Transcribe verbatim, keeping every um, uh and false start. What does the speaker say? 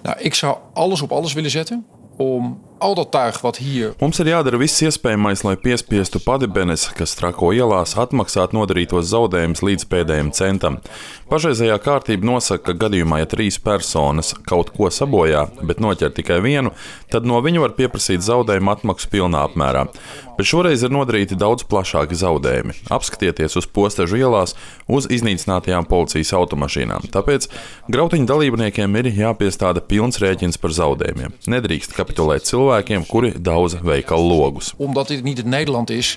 Nou, ik zou alles op alles willen zetten om al dat tuig wat hier... Mums ir jādara viss iespējamais, lai piespiestu Padibenes, kas Trako ielās, atmaksāt nodarītos zaudējumus līdz pēdējiem centam. Pašreizējā kārtība nosaka, ka gadījumā, ja trīs personas kaut ko sabojā, bet noķer tikai vienu, tad no viņu var pieprasīt zaudējumu atmaksu pilnā apmērā. Bet šoreiz ir nodarīti daudz plašāki zaudējumi. Apskatieties uz Postežu ielās uz iznīcinātajām policijas automašīnām. Tāpēc grautiņu dalībniekiem ir jāpiestāda pilns rēķins par zaudējumiem. Nedrīkst kapitulēt cilvēkiem, kuri daudza veikalu logus. Omdat dit niet het Nederland is